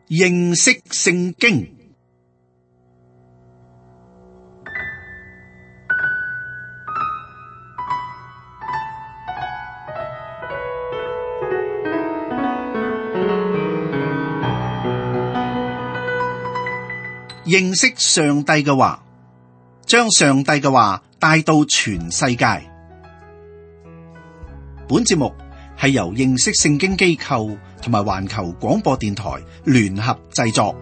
認識聖經。認識上帝嘅話，將上帝嘅話帶到全世界。本節目係由認識聖經機構同埋環球廣播電台聯合製作。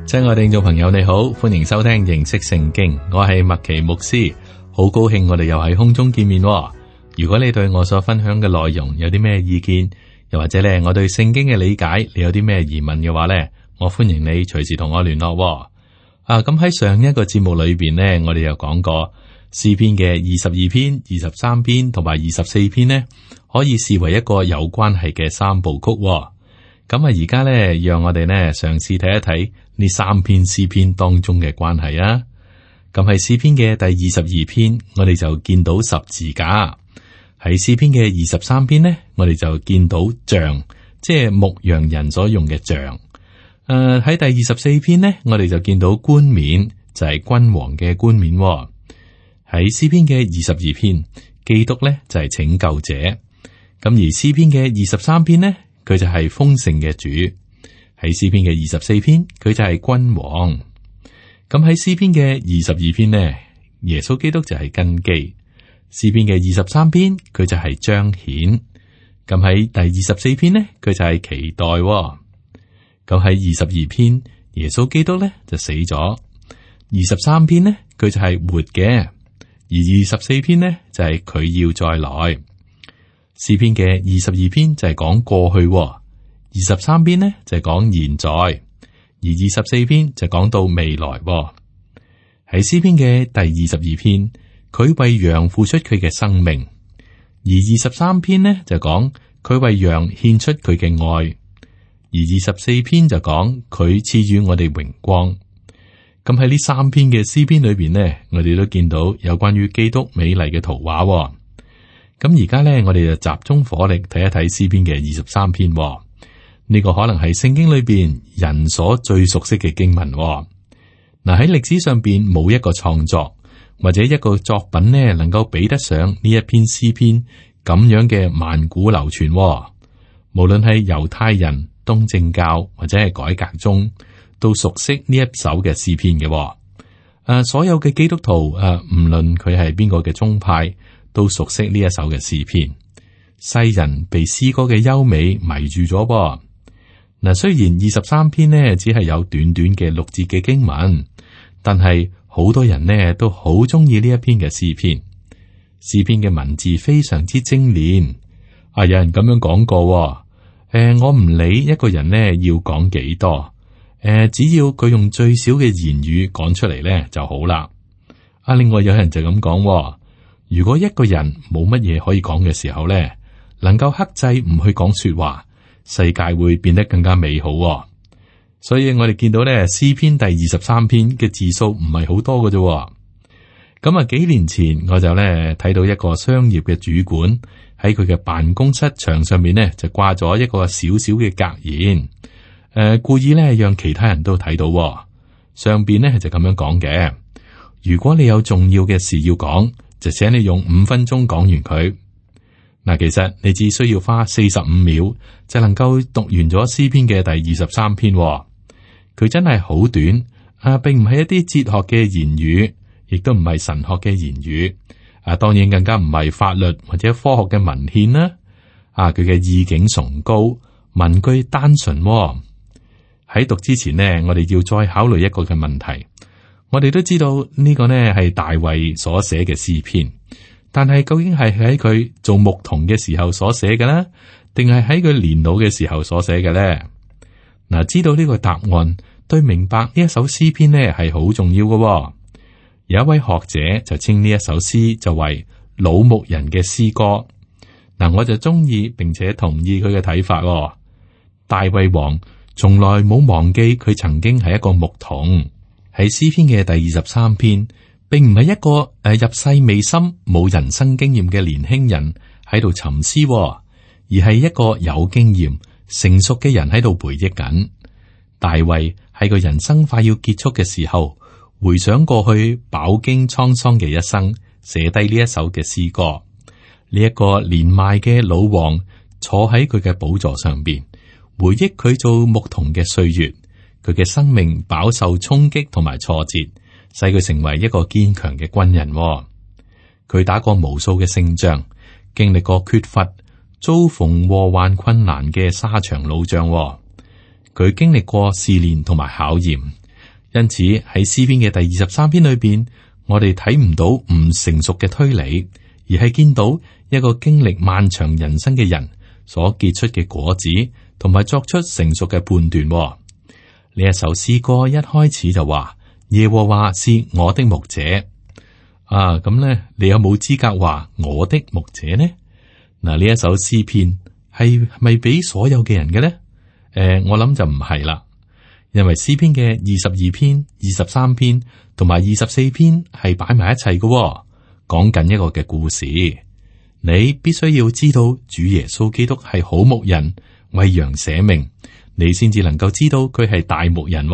親愛的聽眾朋友，你好，歡迎收聽認識聖經，我係麥奇牧師。好高興我哋又喺空中見面喎。如果你對我所分享嘅內容有啲咩意見，又或者咧我對聖經嘅理解，你有啲咩疑問嘅話咧，我歡迎你隨時同我聯絡喎。咁喺上一個節目裏邊呢，我哋又講過詩篇嘅22篇、23篇同埋24篇呢，可以視為一個有關係嘅三部曲喎。咁而家咧，讓我哋呢嘗試睇一睇呢三篇詩篇當中嘅關係啊。咁喺詩篇嘅第22篇，我哋就見到十字架；喺詩篇嘅23篇呢，我哋就見到杖，即係牧羊人所用嘅杖。喺第24篇呢，我哋就見到冠冕，就係君王嘅冠冕。喺詩篇嘅22篇，基督呢就係拯救者。咁而詩篇嘅23篇呢，佢就係豐盛嘅主。喺詩篇嘅24篇，佢就係君王。咁喺詩篇嘅22篇呢，耶穌基督就係根基；詩篇嘅23篇，佢就係彰顯。咁喺第24篇呢，佢就係期待。咁喺22篇，耶穌基督呢就死咗；23篇呢，佢就係活嘅；而24篇呢，就係佢要再來。詩篇嘅22篇就係講過去，23篇呢就係講現在。而24篇就講到未來。喺詩篇嘅第22篇，佢為羊付出佢嘅生命；而23篇呢就講佢為羊獻出佢嘅愛；而24篇就講佢賜予我哋榮光。咁喺呢三篇嘅詩篇裏邊呢，我哋都見到有關於基督美麗嘅圖畫。咁而家呢，我哋就集中火力睇一睇詩篇嘅23篇。呢個可能係聖經裏邊人所最熟悉嘅經文。嗱，喺歷史上邊冇一個創作或者一個作品呢，能夠比得上呢一篇詩篇咁樣嘅萬古流傳。無論係猶太人、東正教或者係改革宗，都熟悉呢一首嘅詩篇嘅。所有嘅基督徒唔論佢係邊個嘅宗派，都熟悉呢一首嘅詩篇。世人被詩歌嘅優美迷住咗。嗱，雖然23篇呢只係有短短嘅6節嘅經文，但係好多人呢都好中意呢一篇嘅詩篇。詩篇嘅文字非常之精煉。有人咁樣講過，我唔理一個人呢要講幾多，只要佢用最少嘅言語講出嚟呢就好啦。另外有人就咁講，如果一個人冇乜嘢可以講嘅時候呢，能夠克制唔去講說話，世界會變得更加美好。所以我哋見到咧，詩篇第23篇嘅字數唔係好多嘅啫。咁幾年前我就咧睇到一個商業嘅主管喺佢嘅辦公室牆上面呢，就掛咗一個小小嘅格言，故意咧讓其他人都睇到。上邊呢就咁樣講嘅：如果你有重要嘅事要講，就請你用5分鐘講完佢。嗱，其實你只需要花45秒就能夠讀完咗詩篇嘅第23篇。佢真係好短，並唔係一啲哲學嘅言語，亦都唔係神學嘅言語，當然更加唔係法律或者科學嘅文獻啦。佢嘅意境崇高，文句單純。喺讀之前呢，我哋要再考慮一個嘅問題。我哋都知道呢個呢係大衛所寫嘅詩篇。但係究竟係喺佢做牧童嘅時候所寫嘅呢，定係喺佢年老嘅時候所寫嘅呢？嗱，知道呢個答案，對明白呢一首詩篇呢係好重要嘅。有一位學者就稱呢一首詩就為老牧人嘅詩歌。嗱，我就中意並且同意佢嘅睇法。大衛王從來冇忘記佢曾經係一個牧童。喺詩篇嘅第23篇，並唔係一個入世未深、冇人生經驗嘅年輕人喺度沉思，而係一個有經驗、成熟嘅人喺度回憶緊。大衛喺個人生快要結束嘅時候，回想過去飽經滄桑嘅一生，寫低呢一首嘅詩歌。呢一個年邁嘅老王坐喺佢嘅寶座上邊，回憶佢做牧童嘅歲月。佢嘅生命飽受衝擊同埋挫折，使佢成為一個堅強嘅軍人。佢打過無數嘅勝仗，經歷過缺乏、遭逢禍患困難嘅沙場老將。佢經歷過試煉同埋考驗，因此喺詩篇嘅第23篇裏邊，我哋睇唔到唔成熟嘅推理，而係見到一個經歷漫長人生嘅人所結出嘅果子，同埋作出成熟嘅判斷。呢一首詩歌一開始就話耶和華是我的牧者。咁咧，你有冇資格話我的牧者呢？嗱，呢一首詩篇係咪俾所有嘅人嘅咧？我諗就唔係啦，因為詩篇嘅22篇、23篇同埋24篇係擺埋一齊嘅，講緊一個嘅故事。你必須要知道主耶穌基督係好牧人，為羊捨命，你先至能夠知道佢係大牧人。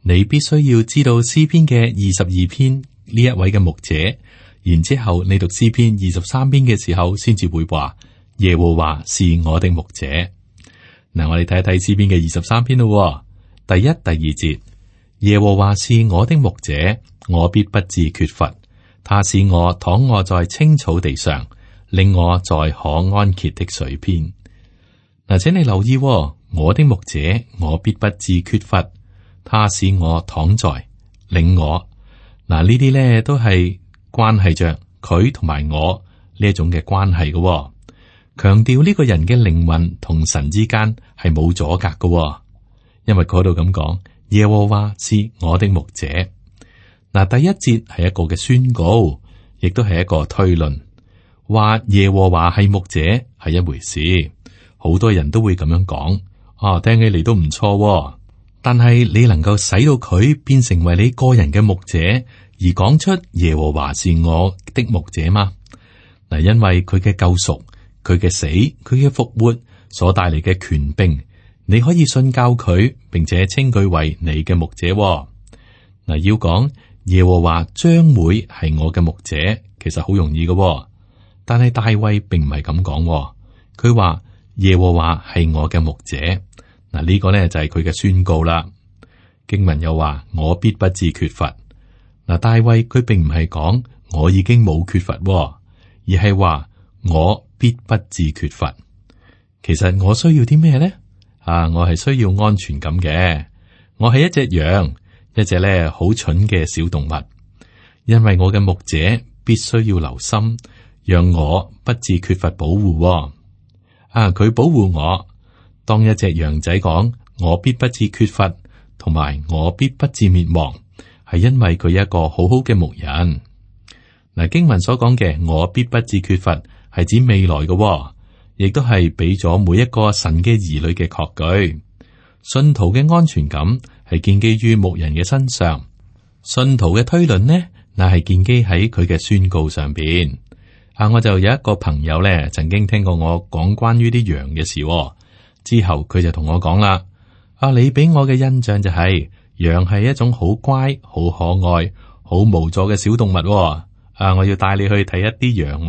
你必須要知道詩篇嘅22篇呢一位嘅牧者，然之後你讀詩篇23篇嘅時候，先至會話耶和華是我的牧者。嗱，我哋睇一睇詩篇嘅23篇咯。第1、第2節，耶和華是我的牧者，我必不致缺乏。他使我躺臥在青草地上，令我在可安歇的水邊。嗱，請你留意，我的牧者，我必不致缺乏。他使我躺在，領我。嗱，呢啲咧都係關係着佢同埋我呢一種嘅關係嘅。強調呢個人嘅靈魂同神之間係冇阻隔嘅，因為嗰度咁講，耶和華是我的牧者。嗱，第一節係一個嘅宣告，亦都係一個推論，話耶和華係牧者係一回事，好多人都會咁樣講，聽起嚟都唔錯。但係你能夠使到佢變成為你個人嘅牧者，而講出耶和華是我的牧者嗎？嗱，因為佢嘅救贖。佢嘅死，佢嘅復活所帶嚟嘅權柄，你可以信教佢，並且稱佢為你嘅牧者。嗱，要講耶和華將會係我嘅牧者，其實好容易嘅。但係大衛並唔係咁講，佢話耶和華係我嘅牧者。嗱，呢個呢就係佢嘅宣告啦。經文又話我必不致缺乏。嗱，大衛佢並唔係講我已經冇缺乏，而係話我必不致缺乏。其實我需要啲咩呢？我係需要安全感嘅。我係一隻羊，一隻咧好蠢嘅小動物。因為我嘅牧者必須要留心，讓我不致缺乏保護。佢保護我。當一隻羊仔講我必不致缺乏，同埋我必不致滅亡，係因為佢一個好好嘅牧人。嗱，經文所講嘅我必不致缺乏，係指未來嘅，亦都係俾咗每一個神嘅兒女嘅確據。信徒嘅安全感係建基於牧人嘅身上，信徒嘅推論呢，乃係建基喺佢嘅宣告上邊。我就有一個朋友咧，曾經聽過我講關於啲羊嘅事，之後佢就同我講啦：你俾我嘅印象就係羊係一種好乖、好可愛、好無助嘅小動物。我要帶你去睇一啲羊。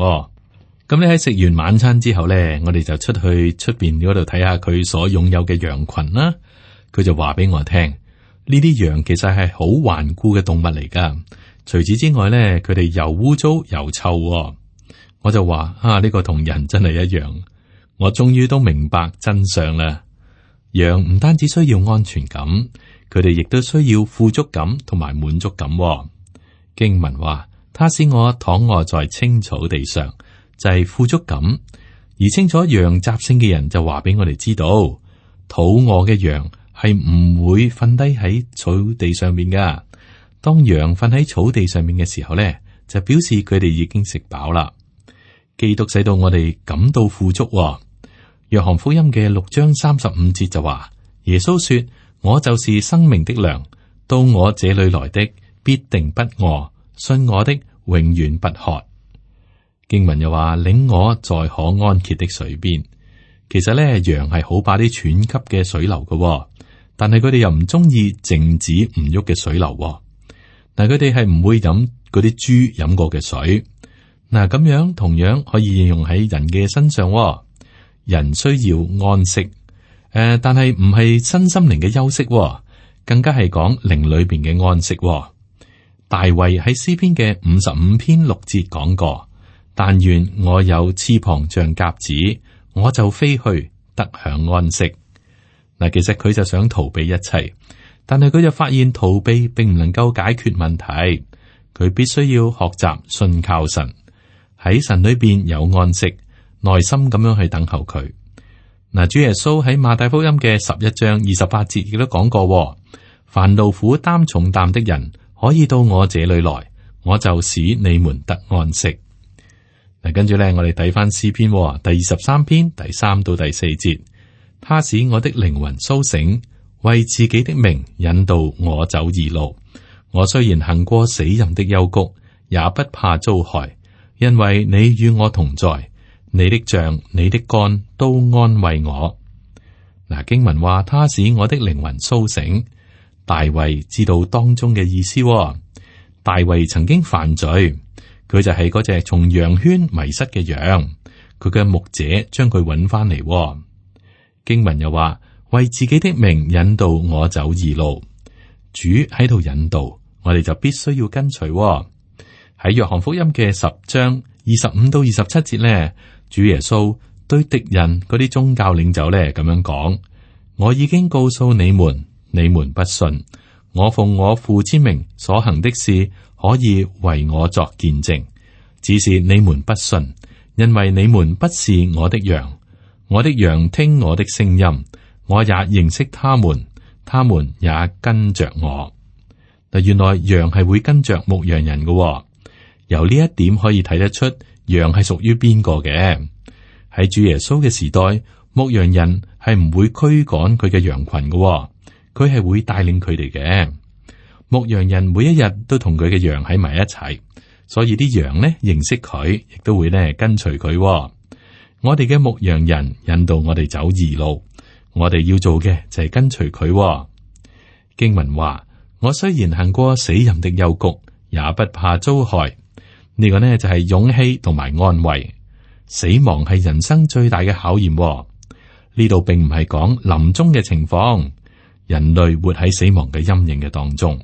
咁你喺食完晚餐之後咧，我哋就出去出邊嗰度睇下佢所擁有嘅羊群啦。佢就話俾我聽，呢啲羊其實係好頑固嘅動物嚟噶。除此之外咧，佢哋又污糟又臭。我就話呢個同人真係一樣。我終於都明白真相啦。羊唔單止需要安全感，佢哋亦都需要富足感同埋滿足感。經文話，他使我躺臥在青草地上。就係富足感，而清楚羊習性嘅人就話俾我哋知道，肚餓嘅羊係唔會瞓低喺草地上面噶。當羊瞓喺草地上面嘅時候咧，就表示佢哋已經食飽啦。基督使到我哋感到富足。約翰福音嘅6章35節就話，耶穌說：我就是生命的糧，到我這裏來的必定不餓，信我的永遠不渴。經文又話，領我在可安歇的水邊。其實咧，羊係好怕啲湍急嘅水流嘅，但係佢哋又唔中意靜止唔喐嘅水流。但係佢哋係唔會飲嗰啲豬飲過嘅水。嗱，咁樣同樣可以應用喺人嘅身上。人需要安息，但係唔係身心靈嘅休息，更加係講靈裏邊嘅安息。大衛喺詩篇嘅55篇6節講過：但願我有翅膀像鴿子，我就飛去得享安息。嗱，其實佢就想逃避一切，但係佢就發現逃避並唔能夠解決問題。佢必須要學習信靠神，喺神裏邊有安息，耐心咁樣去等候佢。嗱，主耶穌喺馬太福音嘅11章28節亦都講過：凡勞苦擔重擔的人，可以到我這裏來，我就使你們得安息。嗱，跟住咧，我哋睇翻詩篇第23篇第3到第4節，他使我的靈魂蘇醒，為自己的名引導我走義路。我雖然行過死蔭的幽谷，也不怕遭害，因為你與我同在，你的杖、你的竿都安慰我。嗱，經文話，他使我的靈魂蘇醒。大衛知道當中嘅意思。大衛曾經犯罪，佢就係嗰隻從羊圈迷失嘅羊，佢嘅牧者將佢揾翻嚟。經文又話，為自己的名引導我走義路。主喺度引導，我哋就必須要跟隨。喺約翰福音嘅10章25到27節呢，主耶穌對敵人嗰啲宗教領袖咧咁樣講：我已經告訴你們，你們不信。我奉我父之名所行的事，可以為我作見證，只是你們不信，因為你們不是我的羊。我的羊聽我的聲音，我也認識他們，他們也跟着我。嗱，原來羊係會跟着牧羊人嘅。由呢一點可以睇得出，羊係屬於邊個嘅。喺主耶穌嘅時代，牧羊人係唔會驅趕佢嘅羊群嘅，佢係會帶領佢哋嘅。牧羊人每一日都同佢嘅羊喺埋一齊，所以啲羊呢認識佢，亦都會呢跟隨佢。我哋嘅牧羊人引導我哋走義路，我哋要做嘅就係跟隨佢。經文話：我雖然行過死蔭的幽谷，也不怕遭害。呢個呢就係勇氣同埋安慰。死亡係人生最大嘅考驗。呢度並唔係講臨終嘅情況，人類活喺死亡嘅陰影嘅當中。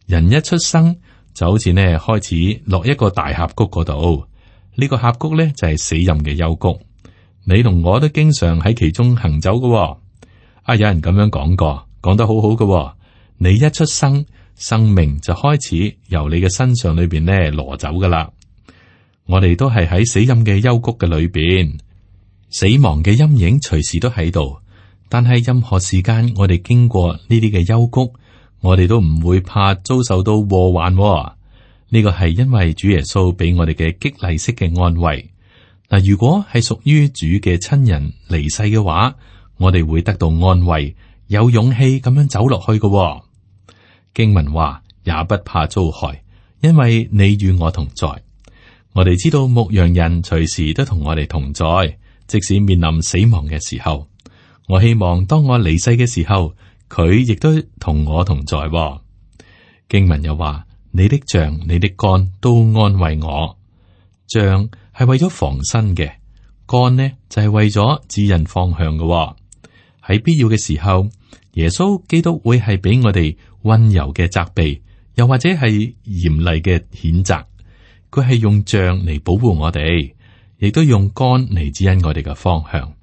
人一出生就好似呢開始落一個大峽谷嗰度，呢個峽谷呢就係死蔭嘅幽谷。你同我都經常喺其中行走嘅。有人咁樣講過，講得好好嘅。你一出生，生命就開始由你嘅身上裏邊呢挪走噶啦。我哋都係喺死蔭嘅幽谷嘅裏邊，死亡嘅陰影隨時都喺度。但係任何時間我哋經過呢啲嘅幽谷，我哋都唔會怕遭受到禍患。呢個係因為主耶穌俾我哋嘅激勵式嘅安慰。嗱，如果係屬於主嘅親人離世嘅話，我哋會得到安慰，有勇氣咁樣走落去嘅。經文話，也不怕遭害，因為你與我同在。我哋知道牧羊人隨時都同我哋同在，即使面臨死亡嘅時候。我希望當我離世嘅時候，佢亦都同我同在。經文又話，你的杖、你的竿都安慰我。杖係為咗防身嘅，竿呢就係為咗指引方向嘅。喺必要嘅時候，耶穌基督會係俾我哋溫柔嘅責備，又或者係嚴厲嘅譴責。佢係用杖嚟保護我哋，亦都用竿嚟指引我哋嘅方向。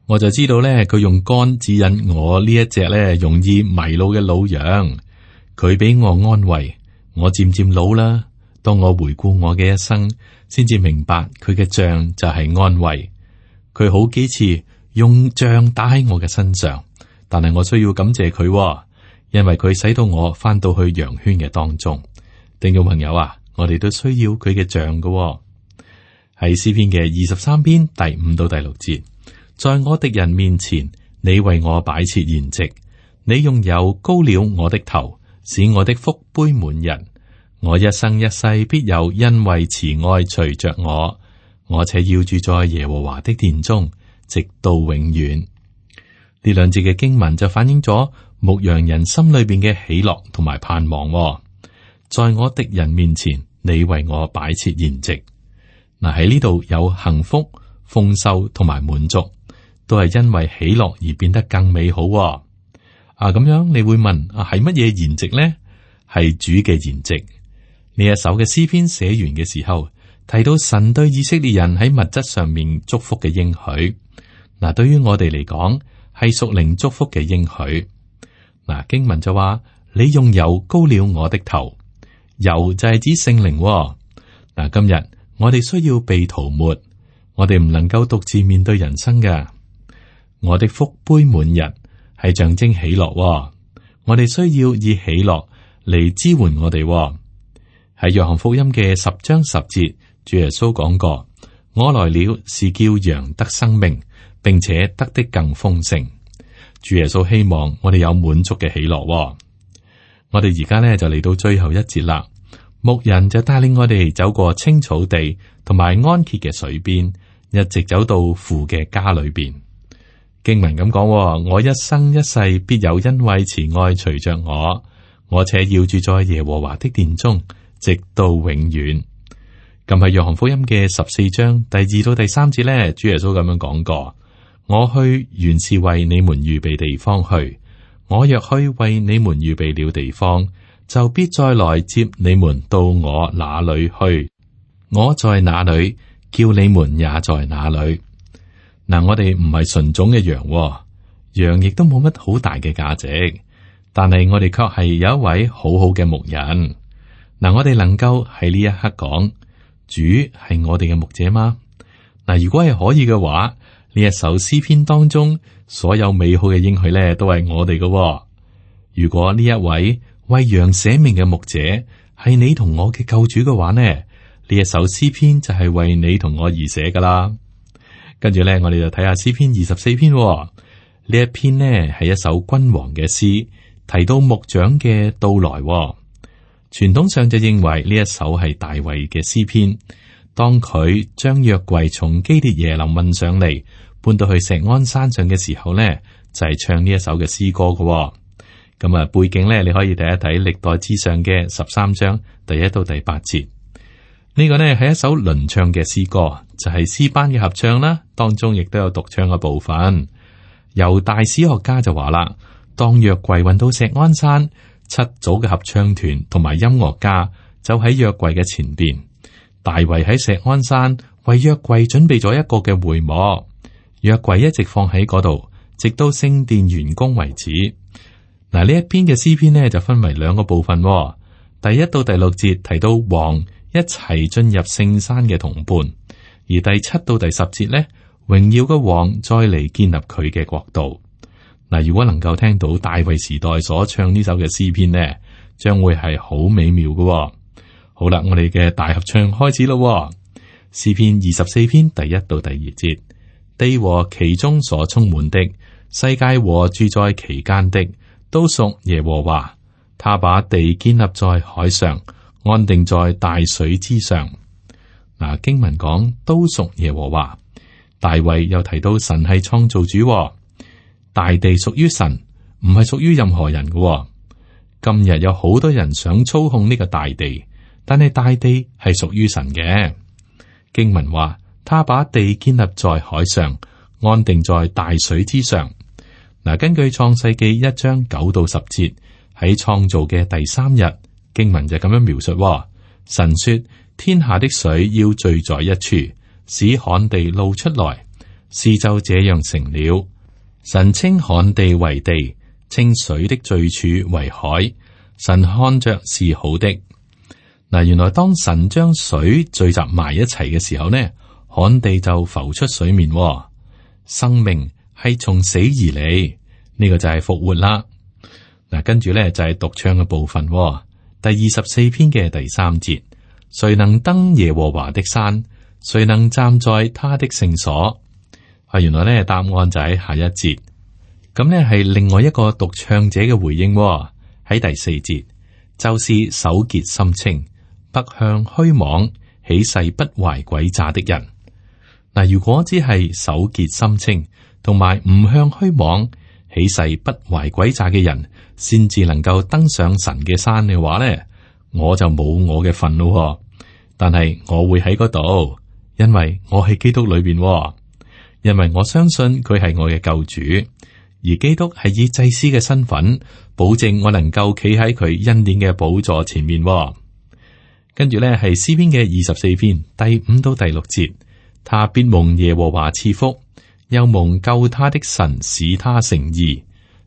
我就知道咧，佢用竿指引我呢一隻咧容易迷路嘅老羊。佢俾我安慰。我漸漸老啦，當我回顧我嘅一生，先至明白佢嘅杖就係安慰。佢好幾次用杖打喺我嘅身上，但係我需要感謝佢，因為佢使到我翻到去羊圈嘅當中。聽眾朋友啊，我哋都需要佢嘅杖嘅。喺詩篇嘅23篇第5到第6節，在我敵人面前，你為我擺設筵席，你用油膏了我的頭，使我的福杯滿溢。我一生一世必有恩惠慈愛隨着我，我且要住在耶和華的殿中，直到永遠。呢兩節嘅經文就反映咗牧羊人心裏邊嘅喜樂同埋盼望。在我敵人面前，你為我擺設筵席。嗱，喺呢度有幸福、豐收同埋滿足，都係因為喜樂而變得更美好。咁樣你會問係乜嘢筵席呢？係主嘅筵席。呢一首嘅詩篇寫完嘅時候，提到神對以色列人喺物質上面祝福嘅應許。嗱，對於我哋嚟講係屬靈祝福嘅應許。嗱，經文就話你用油膏了我的頭，油就係指聖靈。嗱，今日我哋需要被塗抹，我哋唔能夠獨自面對人生㗎。我的福杯滿溢係象徵喜樂，我哋需要以喜樂嚟支援我哋。喺約翰福音嘅10章10節，主耶穌講過：我來了是叫羊得生命，並且得的更豐盛。主耶穌希望我哋有滿足嘅喜樂。我哋而家呢就嚟到最後一節啦，牧人就帶領我哋走過青草地同埋安歇嘅水邊，一直走到父嘅家裏邊。經文咁講：我一生一世必有恩惠慈愛隨着我，我且要住在耶和華的殿中，直到永遠。咁喺約翰福音嘅14章第2到第3節呢，主耶穌咁樣講過：我去原是為你們預備地方去，我若去為你們預備了地方，就必再來接你們到我那裏去。我在哪裏，叫你們也在哪裏。嗱，我哋唔係純種嘅羊，羊亦都冇乜好大嘅價值，但係我哋卻係有一位好好嘅牧人。嗱，我哋能夠喺呢一刻講，主係我哋嘅牧者嗎？嗱，如果係可以嘅話，呢一首詩篇當中所有美好嘅應許咧，都係我哋嘅。如果呢一位為羊捨命嘅牧者係你同我嘅救主嘅話呢，呢一首詩篇就係為你同我而寫噶啦。跟住咧，我哋就睇下詩篇24篇。呢一篇呢係一首君王嘅詩，提到牧長嘅到來。傳統上就認為呢一首係大衛嘅詩篇。當佢將約櫃從基列耶琳運上嚟，搬到去錫安山上嘅時候呢，就係唱呢一首嘅詩歌嘅。咁背景呢，你可以睇一睇歷代志上嘅13章第1到第8節。呢個呢係一首輪唱嘅詩歌，就係詩班嘅合唱啦，當中亦都有獨唱嘅部分。猶大史學家就話啦，當約櫃運到錫安山，7組嘅合唱團同埋音樂家就喺約櫃嘅前邊。大衛喺錫安山為約櫃準備咗一個嘅會幕，約櫃一直放喺嗰度，直到聖殿完工為止。嗱，呢一篇嘅詩篇呢就分為2個部分。第1到第6節提到王一齊進入聖山嘅同伴，而第7到第10節呢，榮耀嘅王再嚟建立佢嘅國度。嗱，如果能夠聽到大衛時代所唱呢首嘅詩篇呢，將會係好美妙嘅。好啦，我哋嘅大合唱開始咯。詩篇24篇第1到第2節，地和其中所充滿的，世界和住在其間的，都屬耶和華。他把地建立在海上，安定在大水之上。嗱，經文講都屬耶和華。大衛又提到神係創造主，大地屬於神，唔係屬於任何人嘅。今日有好多人想操控呢個大地，但係大地係屬於神嘅。經文話，他把地建立在海上，安定在大水之上。嗱，根據創世記1章9到10節，喺創造嘅第3日，經文就咁樣描述：神說，天下的水要聚在一處，使旱地露出來，事就這樣成了。神稱旱地為地，稱水的聚處為海。神看着是好的。嗱，原來當神將水聚集埋一齊嘅時候呢，旱地就浮出水面。生命係從死而嚟，呢個就係復活啦。嗱，跟住咧就係獨唱嘅部分。第24篇嘅第3節，誰能登耶和華的山？誰能站在他的聖所？原來咧答案就喺下一節。咁呢係另外一個獨唱者嘅回應。喺第4節，就是手潔心清，不向虛妄起誓不懷詭詐的人。嗱，如果只係手潔心清，同埋唔向虛妄起誓不懷詭詐嘅人，先至能夠登上神嘅山嘅話咧，我就冇我嘅份咯。但係我會喺嗰度，因為我喺基督裏邊，因為我相信佢係我嘅救主，而基督係以祭司嘅身份保證我能夠企喺佢恩典嘅寶座前面。跟住咧係詩篇嘅24篇第5到第6節，他必蒙耶和華賜福，又蒙救他的神使他成義。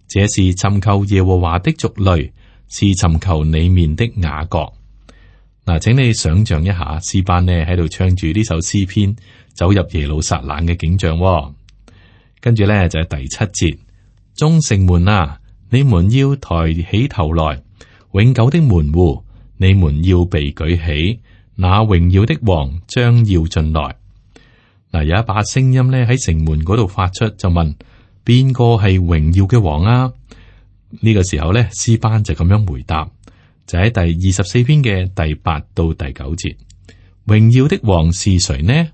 這是尋求耶和華的族類，是尋求你面的雅各。嗱，請你想象一下，詩班呢喺度唱住呢首詩篇，走入耶路撒冷嘅景象。跟住咧就係第7節，眾城門啊，你們要抬起頭來，永久的門戶，你們要被舉起，那榮耀的王將要進來。嗱，有一把聲音咧喺城門嗰度發出，就問邊個係榮耀嘅王啊？呢個時候咧，詩班就咁樣回答，就喺第24篇嘅第8到第9節。榮耀的王是誰呢？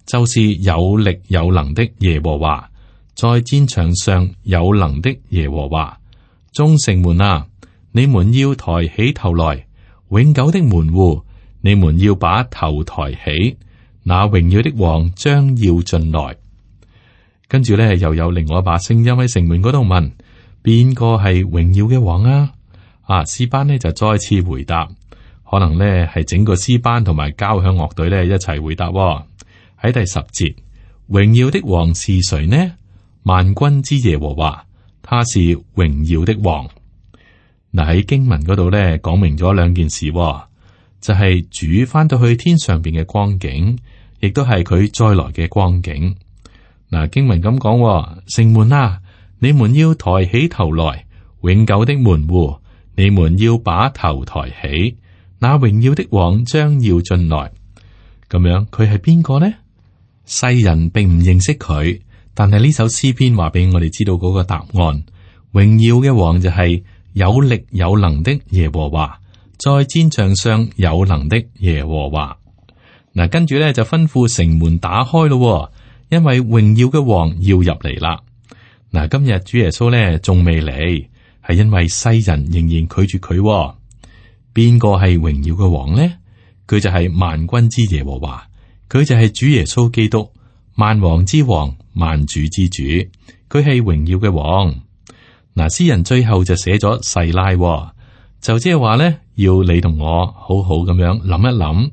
就是有力有能的耶和華，在戰場上有能的耶和華。眾城門啊，你們要抬起頭來，永久的門戶，你們要把頭抬起，那榮耀的王將要進來。跟住咧，又有另外一把聲音喺城門嗰度問：邊個係榮耀嘅王啊？詩班呢就再次回答，可能呢係整個詩班同埋交響樂隊呢一齊回答。喺第10節，榮耀的王是誰呢？萬軍之耶和華，他是榮耀的王。嗱，喺經文嗰度呢講明咗兩件事，就係主翻到去天上邊嘅光景，亦都係佢再來嘅光景。嗱，經文咁講，城門啊，你們要抬起頭來，永久的門戶，你們要把頭抬起，那榮耀的王將要進來。咁樣，佢係邊個呢？世人並唔認識佢，但係呢首詩篇話俾我哋知道嗰個答案。榮耀嘅王就係有力有能的耶和華，在戰場上有能的耶和華。嗱，跟住咧就吩咐城門打開咯。因為榮耀嘅王要入嚟啦。嗱，今日主耶穌咧仲未嚟，係因為世人仍然拒絕佢。邊個係榮耀嘅王呢？佢就係萬軍之耶和華，佢就係主耶穌基督，萬王之王，萬主之主，佢係榮耀嘅王。嗱，詩人最後就寫咗細拉，就即係話咧，要你同我好好咁樣諗一諗，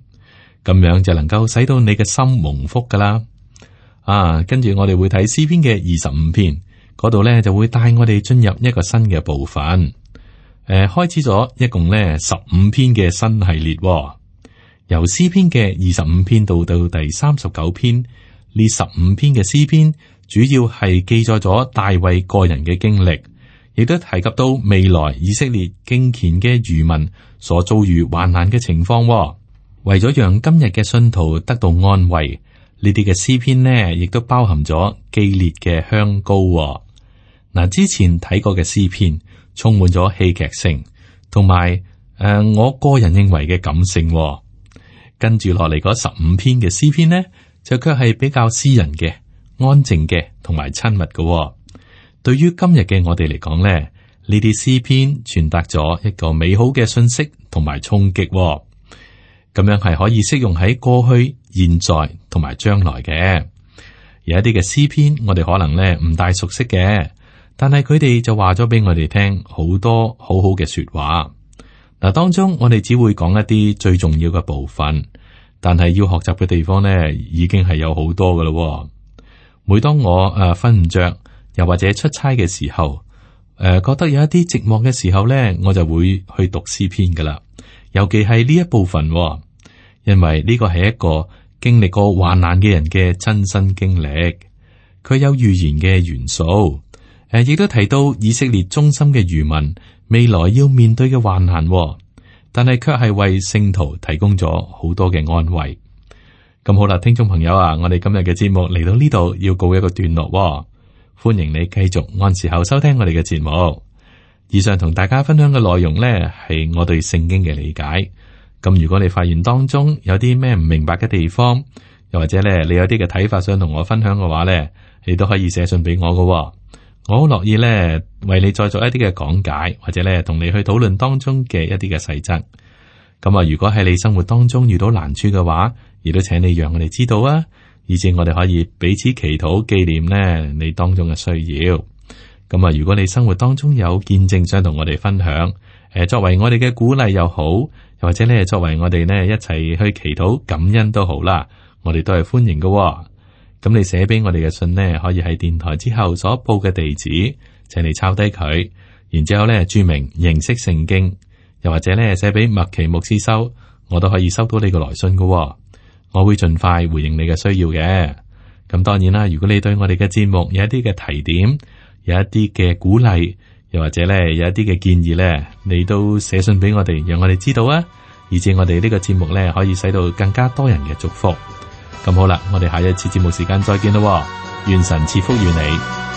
咁樣就能夠使到你嘅心蒙福噶啦。跟住我哋會睇詩篇嘅25篇，嗰度咧就會帶我哋進入一個新嘅部分。開始咗一共咧15篇嘅新系列，由詩篇嘅25篇到第39篇，呢15篇嘅詩篇主要係記載咗大衛個人嘅經歷，亦都提及到未來以色列敬虔嘅餘民所遭遇患難嘅情況。為咗讓今日嘅信徒得到安慰，呢啲嘅詩篇呢，亦都包含咗基列嘅香膏。嗱，之前睇過嘅詩篇充滿咗戲劇性，同埋我個人認為嘅感性。跟住落嚟嗰15篇嘅詩篇呢，就卻係比較私人嘅、安靜嘅，同埋親密嘅。對於今日嘅我哋嚟講呢，呢啲詩篇傳達咗一個美好嘅信息同埋衝擊。咁樣係可以適用喺過去、現在同埋將來嘅。有一啲嘅詩篇，我哋可能咧唔大熟悉嘅，但係佢哋就話咗俾我哋聽好多好好嘅說話。嗱，當中我哋只會講一啲最重要嘅部分，但係要學習嘅地方咧，已經係有好多噶啦。每當我瞓唔着，又或者出差嘅時候，覺得有一啲寂寞嘅時候咧，我就會去讀詩篇噶啦。尤其係呢一部分。因為呢個係一個經歷過患難嘅人嘅親身經歷，佢有預言嘅元素，亦都提到以色列忠心嘅餘民未來要面對嘅患難，但係卻係為聖徒提供咗好多嘅安慰。咁好啦，聽眾朋友啊，我哋今日嘅節目嚟到呢度要告一個段落，歡迎你繼續按時候收聽我哋嘅節目。以上同大家分享嘅內容呢，係我對聖經嘅理解。咁如果你發現當中有啲咩唔明白嘅地方，又或者咧你有啲嘅睇法想同我分享嘅話咧，你都可以寫信俾我㗎喎。我好樂意咧為你再做一啲嘅講解，或者咧同你去討論當中嘅一啲嘅細則。咁啊，如果喺你生活當中遇到難處嘅話，亦都請你讓我哋知道啊，以至我哋可以彼此祈禱紀念咧你當中嘅需要。咁啊，如果你生活當中有見證想同我哋分享，作為我哋嘅鼓勵又好，又或者咧作為我哋呢一齊去祈禱感恩都好啦，我哋都係歡迎嘅喎。咁你寫俾我哋嘅信呢，可以喺電台之後所報嘅地址，請你抄低佢，然之後咧注明認識聖經，又或者咧寫俾麥奇牧師收，我都可以收到你嘅來信嘅喎。我會盡快回應你嘅需要嘅。咁當然啦，如果你對我哋嘅節目有一啲嘅提點，有一啲嘅鼓勵，又或者咧有一啲嘅建議咧，你都寫信俾我哋，讓我哋知道啊，以至我哋呢個節目咧可以使到更加多人嘅祝福。咁好啦，我哋下一次節目時間再見咯，願神賜福於你。